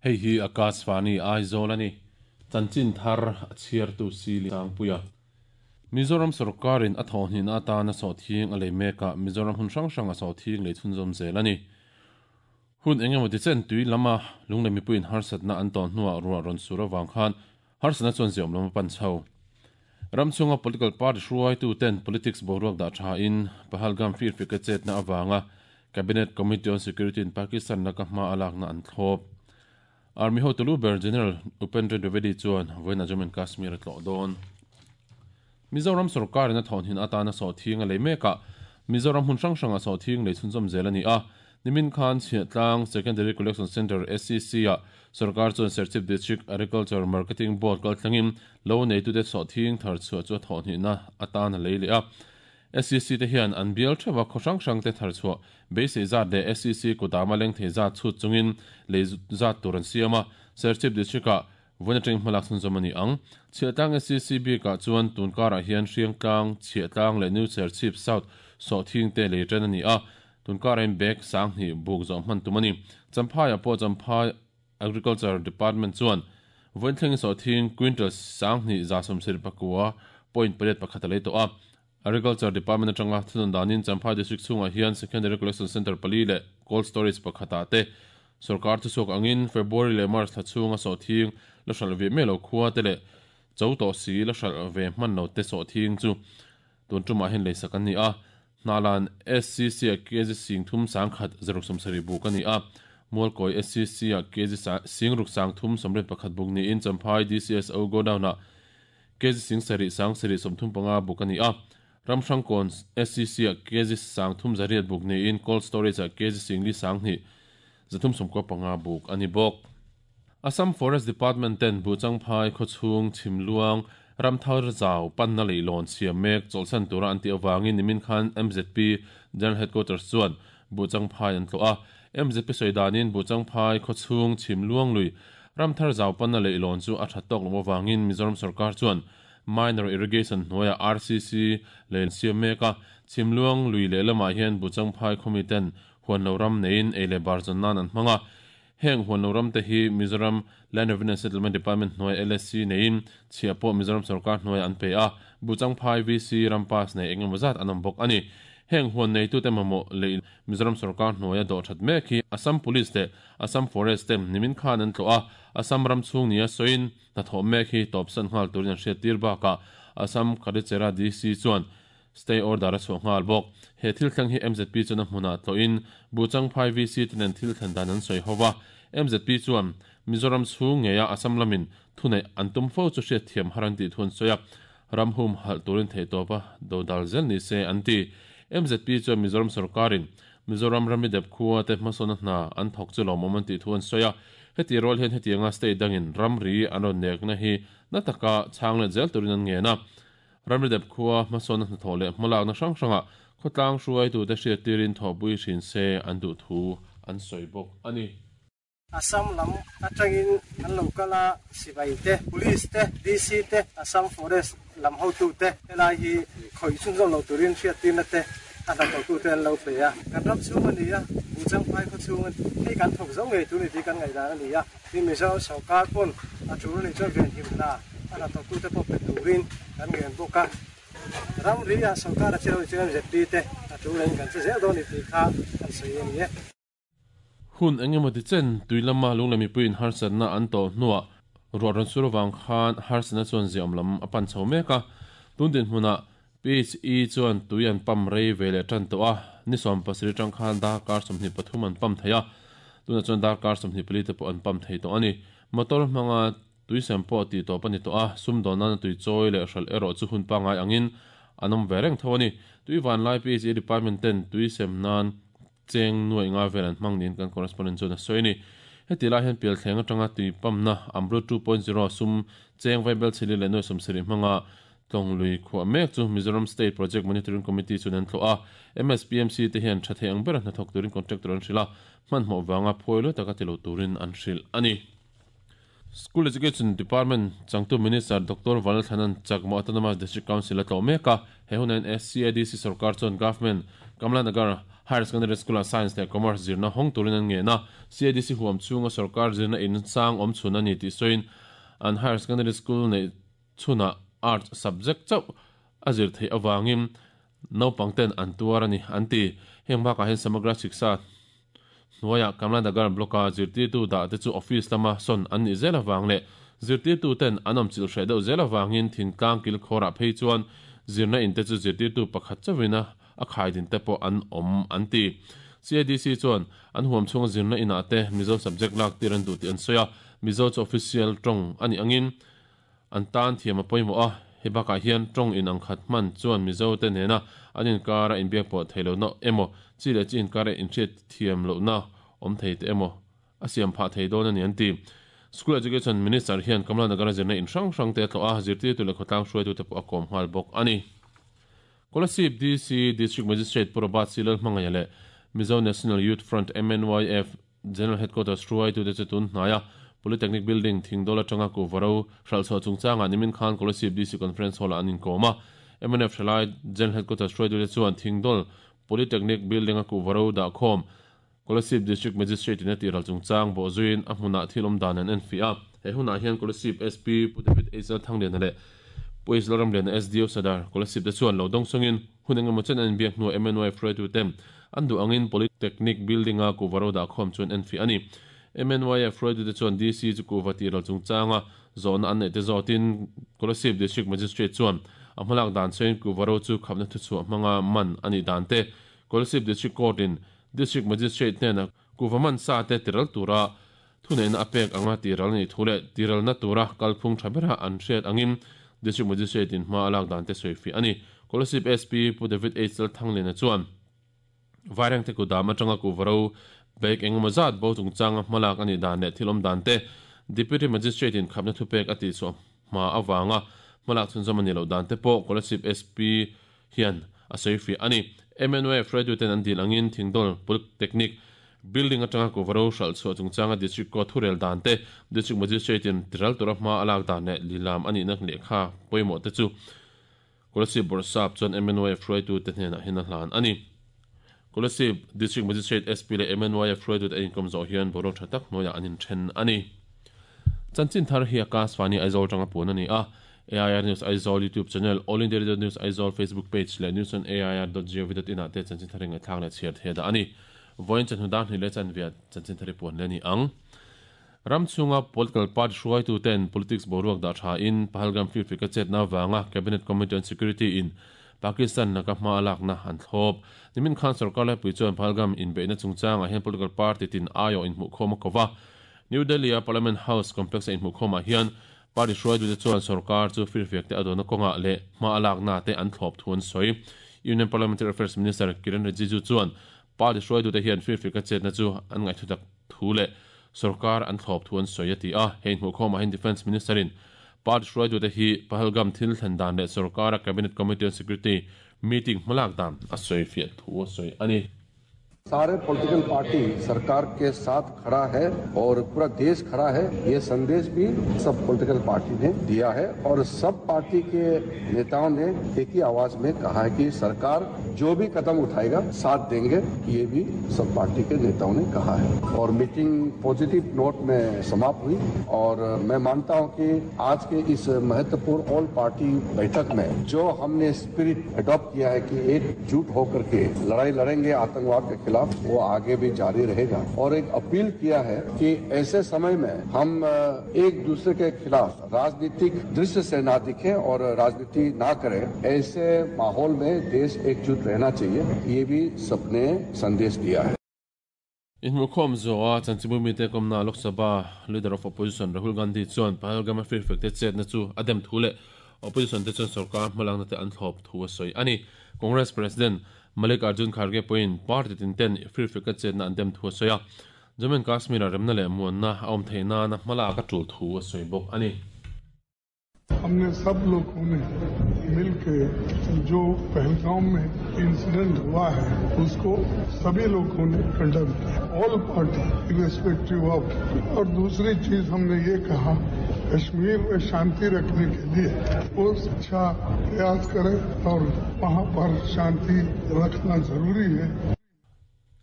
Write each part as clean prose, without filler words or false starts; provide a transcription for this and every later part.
Hei hi Akashvani Aizawl a ni. Chanchin thar a chhiartu Sili Sangpuia. Mizoram sawrkarin a thawhhnihna atana sawhthing a lei mekah Mizoram hmun hrang hranga sawhthing lei chhunzawm zel a ni. Hun eng emaw tichen tui lama lunglei mipuiin harsatna an tawh hnuah ruah rawn sur avang khan harsatna chuan ziaawm lam a pan chho. Ram chhunga political party hruaituten politics boruak dah thain Pahalgam firfika chetna avanga Cabinet Committee on Security in Pakistan laka hma a lakna an thlawp. Army hotu lu ber General Upendra Dwivedi chuan vawiin Jammu and Kashmir a tlawh dawn. Mizoram sawrkarin a thawhnin atana sawhthing a lei mek a, Mizoram hmun hrang hrangah sawhthing lei chhunzawm zel a ni a. Nimin khan Chhiahtlang Secondary Collection Centre, SCC, ah sawrkar chuan Serchhip District Agriculture Marketing Board kalthlangin lo neitute sawhthing thar chhuah chu a thawhhnihna atan a lei leh a. SCC te hian an bial theuh a khaw hrang hrang te thar chhuah beisei zat leh SCC kutama leng thei zat chhut chungin lei zat tur an siam a. Serchhip District-ah Vawiin atangin hmalak chhunzawm a ni ang. Chhiahtlang SCC bikah chuan tun karah hian Hriangtlang, Chhiahtlang leh New Serchhip South sawhthing te lei tan a ni a, tun karah hian bag sanghnih buk zawh hman tum a ni. Champhaiah pawh Champhai Agriculture Department chuan vawiin thlengin sawhthing quintal sanghnih 174 point pariat pakhat a lei tawh a. Agriculture Department atanga thunawn danin Champhai District chhungah hian Secondary Collection Centre pali leh Cold Storage pakhatah te Sawrkar thuchhuak angin February leh March thla chhunga sawhthing la hralh ve mai lo khua te leh cho tawh si la hralh ve hman lo te sawhthing chu tun tumah hian leisak an ni a. Hnahlan SCC-ah kg singthum sangkhat zaruk sawmsarih buk a ni a. Mualkawi SCC-ah kg singruk sangthum sawmriat pakhat buk niin Champhai DCSO Godown-ah kg singsarih sangsarih 35 buk a ni a. Ramhrangkawn SCC-ah kg sangthum zariat buk niin Cold Storage-ah kg singli sanghnih 395 buk a ni bawk. Assam Forest Department ten Buhchangphai khawchhung chhimluang ramthar zau panna leihlawn siam mek chawlhsan tura an tih avangin nimin khan MZP General Headquarters chuan Buhchangphai an tlawh a. MZP sawi danin Buhchangphai khawchhung chhimluang lui ramthar zau panna leihlawn chu a that tawk loh avangin Mizoram sorkar chuan Minor Irrigation hnuaiah RCC lei siam mek a, chhimluang lui lehlamah hian Buhchangphai khawmi ten Huanlo ram neiin ei leh bar zawn nan an hmang a. Heng huanlo ram te hi Mizoram Land Revenue and Settlement Department hnuai LSC neiin chhiah pawh Mizoram sorkar hnuaiah an pe a, Buchangphai VC ram pass nei eng emaw zat an awm bawk a ni. Heng huan neitute mamawh lei Mizoram sorkar hnuaia dawh that mek hi Assam Police leh Assam Forest te nimin khan an tlawh a, Assam ram chhung nia sawiin hnathawh mek hi tawpsan nghal turin an hriattir bakah Assam Kharichera DC chuan Stay order a chhuah nghal bawk. He thil thleng hi mzp chuan a hmunah tlawhin Buhchangphai VC te nen thil thlen dan an sawi ho va. Mzp chuan Mizoram chhung ngeia Assam lamin thuneih an tum fo chu hriatthiam har an tih thu an sawi a, ram hum halh turin theihtawpa dodal zel ni se an ti. Mzp chuan Mizoram sorkarin Mizoram rami dep khua te hmasawnna hna an thawk chu lawmawm an tih thu an sawi a. Heti rual hian hetianga state dangin ramri an rawn nekna hi na taka chhang let zel turin an ngen a. Ramri dep khua hmasawnna hnathawh leh hmalakna hrang hrangah khawtlang hruaitute hriattirin thawhpui hrin se an duh thu an sawi bawk a ni. Assam lam atangin an lo kal a, sipai te, Police te, DC te, Assam Forest lam hotute helai hi khawih chhunzawm lo turin hriattirna te a hnathawhtute an lo pe a. Kan ram chhung a ni a, Buhchangphai khaw chhung a ni. Hei kan thawk zo ngei tur ni tih kan ngaihdan a ni a. Tin, Mizoram sorkar pawn a tul anih chuan venhim hna a hnathawktute pawh pe turin kan ngen bawk a. Ramri ah sorkar a che lo chuan MZP te a tul angin kan che zel dawn ni tih kha kan sawi a ni e. Hun eng emaw ti chen tui lama lunglei mipuiin harsatna an tawh hnuah ruah rawn sur avang khan harsatna chuan ziaawm lam a pan chho mek a. Tun dinhmunah PHE chuan tui an pump rei ve leh tan tawh a, ni 17 atang khan darkar 23 an pump thei a, tunah chuan darkar 24 te pawh an pump thei tawh a ni. Motor hmanga tui sem pawh tih tawp a ni tawh a, sumdawn nana tui chawi leh hralh erawh chu hun pangngai angin an awm ve reng tho a ni. Tui vanlai PHE department ten tui sem nan cheng nuaih nga vel an hmang niin kan correspondent chuan a sawi a ni. Heti lai hian pialthleng atanga tui pumpna Amrut 2.0 sum cheng vaibel chhili leh nuaih 70 hmanga Tlawng lui khuah mek chu Mizoram State Project Monitoring Committee chuan an tlawh a, MSPMC te hian tha thei ang bera hnathawk turin contractor an hrilh a, hmanhmawh vanga phuai luai taka ti lo turin an hrilh a ni. School Education Department changtu Minister Doctor Vanlalthlanan Chakma Autonomous District Council a tlawh mek a, he hunah hian SCADC sorkar chuan Government Kamla Nagar Higher Secondary School-ah Science leh Commerce zirna hawng turin an ngen a, CADC huam chhunga sorkar zirna in sang awm chhun a ni tih sawiin an Higher Secondary School neih chhunah Arts subject chauh a zir theih avangin naupang ten an tuar a ni, an ti. Heng bakah hian Samagra Shiksha hnuaiah Kamlanagar Block-a zirtirtu dah te chu office lama sawn an nih zel avang leh zirtirtu ten an awm chilh hreh deuh zel avangin thingtlang kilkhawrah phei chuan zirna in te chu zirtirtu pakhat chauhin a a khaidin te pawh an awm, an ti. CADC chuan an huam chhunga zirna inah te Mizo subject lak tir an duh tih an sawi a, Mizo chu official tawng a nih angin an tan thiam a pawimawh a, hei bakah hian tawng in ang khat hman chuan Mizo te nena an inkara inbiak pawh thei lohna emaw, chi leh chi inkara inhriat thiam lohna awm thei te emaw a siam phah thei dawn a ni an ti. School Education Minister hian Kamla Nagara zirna in hrang hrang te a tlawh a, zirtirtu leh khawtlang hruaitute pawh a kawm nghal bawk a ni. Kolasib DC District Magistrate Pu Robert C. Lalhmangaia leh Mizo National Youth Front, MNYF, General Headquarters hruaitute chu tun hnaia Polytechnic Building Thingdawl atanga Kuvaro hralhchhuah chungchangah nimin khan Kolasib DC Conference Hall-ah an inkawm a. MNF hralai General Headquarters hruaitute chuan Thingdawl Polytechnic Building-a Kuvaro dahkhawm Kolasib District Magistrate-in a tihral chungchang bawhzuiin a hmunah thil awm dan an enfiah a. He hunah hian Kolasib SP Pu David H. Lalthangliana leh Pu H. Lalramliana SDO Sadar Kolasib te chuan lo dawng sawngin hun engemaw chen an inbiak hnuah MNY hruaitute an duh angin Polytechnic Building-a kuhva ro dahkhawm chu an enfiah a ni. MNYF hruaitute chuan DC chu kuhva tihral chungchanga zawhna an neih te zawtin Kolasib District Magistrate chuan a hmalak dan sawiin kuhva ro chu khapna thuchhuah hmanga man a nih dan te Kolasib District Court-in District Magistrate hnenah kuhva man sa te tiral tura thuneihna a pek anga tiral a nih thu leh tiralna tura kalphung tha bera an hriat angin District Magistrate in hma a lak dan te sawifiah a ni. Kolasib SP Pu David H. Lalthangliana chuan Vairengte kutdam atanga kuhva ro bag engemaw zat bo chungchanga hmalak a nih dan leh thil awm dan te Deputy Magistrate in khapna thupek a tihchhuah hma avanga hmalak chhunzawm a nih loh dan te pawh Kolasib SP hian a sawifiah a ni. MNYF hruaituten an dil angin Thingdawl Polytechnic Building atanga Kuvaro hralh chhuah chungchanga District Court thurel dan te, District Magistrate-in tiral tura hma a lak dan leh lilam a nihna lehkha pawimawh te chu Kolasib Bawrhsap chuan MNYF hruaitute hnenah hian a hlan a ni. Kolasib District Magistrate SP leh MNYF hruaitute an inkawm zawh hian boruak tha tak hnuaiah an inthen a ni. Chanchin thar hi Akashvani Aizawl tanga puan a ni a, AIR News Aizawl YouTube channel, All India Radio News Aizawl Facebook page leh news on air dot gov dot in ah te chanchin thar hi ngaihthlak leh chhiar thei a dah a ni. Vawiin chawhnu dar hnih leh chanvia chanchin thar hi puan leh a ni ang. Ram chhunga political party hruaitu ten politics boruak dah tha in Pahalgam firfik a chetna avanga Cabinet Committee on Security in Pakistan laka hma a lakna an thlawp. Nimin khan sorkar laipui chuan Pahalgam inbeihna chungchangah hian political party tin aiawh inhmuhkhawm a ko va. New Delhi-a Parliament House complex-a inhmuhkhawmah hian party hruaitute chuan sorkar chu firfiak te a dawhna kawngah leh hma a lakna te an thlawp thu an sawi. Union Parliamentary Affairs Minister Kiren Rijiju chuan party hruaitute hian firfiak a chetna chu an ngaihtutak thu leh sorkar an thlawp thu an sawi a ti a. Hei inhmuhkhawmah hian Defence Minister-in party hruaitute hi Pahalgam thil thlen dan leh sorkara Cabinet Committee on Security meeting hmalak dan a sawifiah thu a sawi a ni. सारे political party सरकार के साथ खड़ा है और पूरा देश खड़ा है ये संदेश भी सब पॉलिटिकल पार्टी ने दिया है और सब पार्टी के नेताओं ने एक ही आवाज में कहा है कि सरकार जो भी कदम उठाएगा साथ देंगे ये भी सब पार्टी के नेताओं ने कहा है और meeting positive note में समाप्त हुई और मैं मानता हूं कि आज के इस महत्वपूर्ण ऑल पार्टी बैठक में जो हमने स्पिरिट अडॉप्ट किया है कि एकजुट होकर के लड़ाई लड़ेंगे आतंकवाद के खिलाफ वो आगे भी जारी रहेगा और एक अपील किया है कि ऐसे समय में हम एक दूसरे के खिलाफ राजनीतिक दृश्य से ना दिखें और राजनीति ना करें ऐसे माहौल में देश एकजुट रहना चाहिए ये भी सबने संदेश दिया है Inhmuhkhawm zawha chanchinbu mite kawmna Lok Sabha Leader of Opposition Rahul Gandhi chuan Pahalgam-a firfek te chetna chu a dem thu leh Opposition te chuan sorkar hmalakna te an thlawp thu a sawi a ni. Congress President Mallikarjun Kharge pawhin party tin ten firfek a chetna an dem thu a sawi a, Jammu and Kashmir-ah remna leh muanna a awm theih nana hmalak a tul thu a sawi bawk a ni. हमने सब लोगों ने मिलके जो पहलगाम में incident हुआ है उसको सभी लोगों ने कंडेम किया all party irrespective of और दूसरी चीज हमने ये कहा कश्मीर में शांति रखने के लिए वो अच्छा प्रयास करें और वहां पर शांति रखना जरूरी है।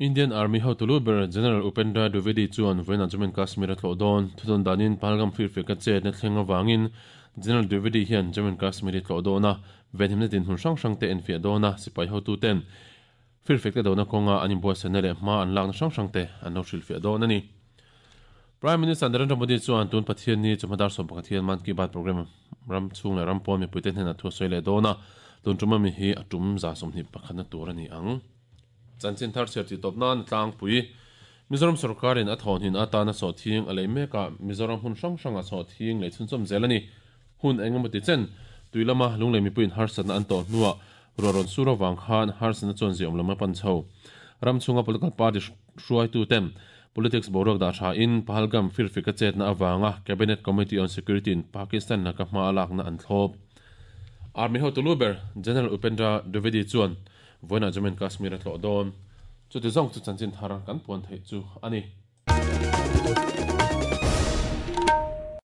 Indian Army hotu lu ber General Upendra Dwivedi chuan vawiinah Jammu and Kashmir a tlawh dawn. Thudawn danin Pahalgam firfiak a chetna thleng avangin General Dwivedi hian Jammu and Kashmir hi tlawh dawn a, venhimna dinhmun hrang hrang te enfiah dawn a, sipai hotuten firfiak te dona kawnga an inbuatsaihna leh hma an lakna hrang hrang te an lo hrilhfiah dawn a ni. Prime Minister Narendra Modi chuan tun Pathianni chawhma dar 11 hian Mann Ki Baat programme ram chhung leh ram pawn mipuite hnenah thu a sawi leh dawn a, tun tum ami hi a tum 21 na tur a ni ang. Chanchin thar chhiar tih tawp nan tlangpui Mizoram sorkarin a thawhnin atana sawhthing a lei mek a, Mizoram hmun hrang hrangah sawhthing lei chhunchawm zel a ni. Hun eng emaw ti chen, tui lama lunglei mipuiin harsatna an tawh hnuah ruah rawn sur avang khan harsatna chuan ziaawm lam a pan chho. Ram chhunga political party hruaituten politics boruak dah tha in Pahalgam firfik a chetna avanga Cabinet Committee on Security in Pakistan laka hma a lakna an thlawp. Army hotu lu ber General Upendra Dwivedi chuan Vawiinah Jammu and Kashmir a tlawh dawn. Chuti zawng chu chanchin thar kan puan theih chu a ni.